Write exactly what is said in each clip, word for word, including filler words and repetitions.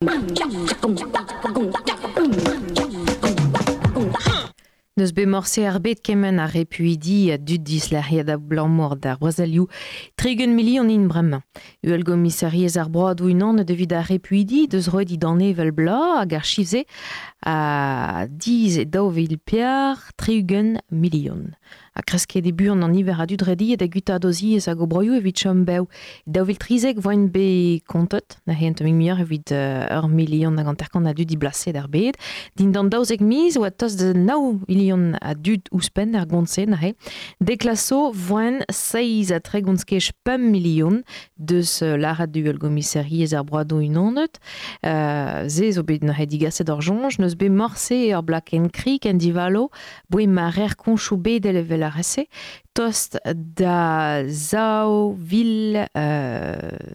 Neus bet morse ar bet kement ar repuidi a dud dislec'hiad a blammour d'ar brezelioù tregont milion int bremañ. Uhel gomisariez ar broadoù unan evit ar repuidi deus roet idane evel bla hag ar chifze a diz e daou vil pear tregont milion. A kresket e buan an niver a dud rediet a guta doziez hag o broioù evit chom bev. Daou vil trizek voint bet kontet, na hent un muioc'h evit uh, ur milion hag hanter-kant a dud diblaset ar bed. Dindan daouzek miz oa tost da nav milion a dud ouzhpenn ar gont-se na he. Deklaso voint seizh ha tregont skej pemp milion deus uh, lârat uhel gomisariez ar broadoù unanet. Uh, ze zo bet na he digaset ur soñj, neus bet morse ur blakenn krik en divalo, boe ma rer koñchoù bedel evel ar rese, tost da zaou vil euh,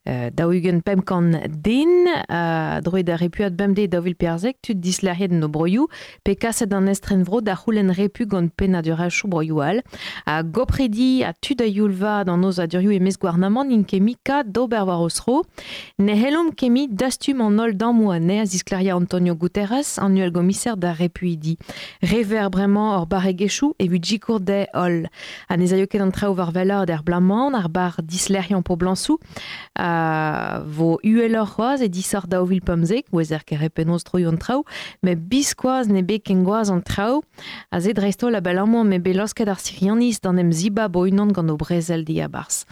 euh, daou-ugent pemp kant den, euh, droet da repuad bemdez daou vil perzek, tud dislec'hiet en o broioù, pe kaset an estrenvro da c'houlenn repu gant pennadurezhioù broioù all. Ha gopredi ha tud a youl vat an aozadurioù e-maez gouarnamant int ket mui kat d'ober war o zro. Ne c'hellomp ket mui dastum an holl dammoù anezhe a zisklêria Antonio Guterres, an uhelgomiser d'ar repuidi. Rever bremañ ur barregezhioù evit sikour dezhe holl. Ha ne zaio ket an traoù war wellaat er bloaz-mañ, ar bar dislec'hiañ poblañsoù, a vo uheloc'h c'hoazh e disoc'h daou vil pemzek, ouezer ket re penaos troioù an traoù, met biskoazh ne bet ken gwazh an traoù, a se dreist-holl abalamour m'eo bet laosket ar Sirianiz d'an em zibab o-unan gant o brezel diabarzh.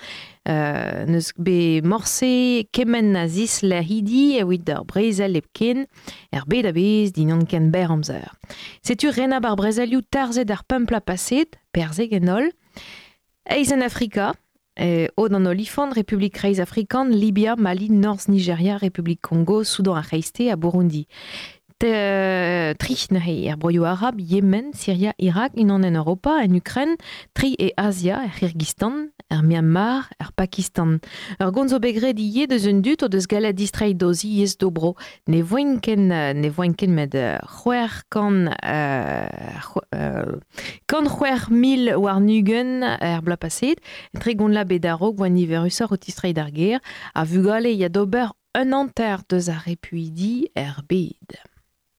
Euh, neus bet morse kement a zislec'hidi evit ar brezel hepken, er bed a-bezh dindan ken berr amzer. Setu renab ar brezelioù tarzhet ar pemp bloaz paset, perzek en holl. Eizh en Afrika, eh, Od an Olifant, Republik Kreiz Afrikan, Libia, Mali, Norzh Nigeria, Republik Kongo, Soudan ar C'hreisteiz ha Burundi. Te, tri neuze er broioù arab, Yemen, Syria, Irak, unan en Europa, en Ukraine, tri e Asia, er C'hirgizstan, er Myanmar, er Pakistan. Ur gont zo bet graet ivez deus un dud o deus gallet distreiñ d'o ziez d'o bro. Ne voint ken, ne voint ken met c'hwec'h kant, euh, euh, kant c'hwec'h mil warn-ugent er bloaz paset. Tregont la bet a-raok voa niverusoc'h o tistreiñ d'ar gêr. A vugale ya d'ober un hanter deus ar repuidi er bed.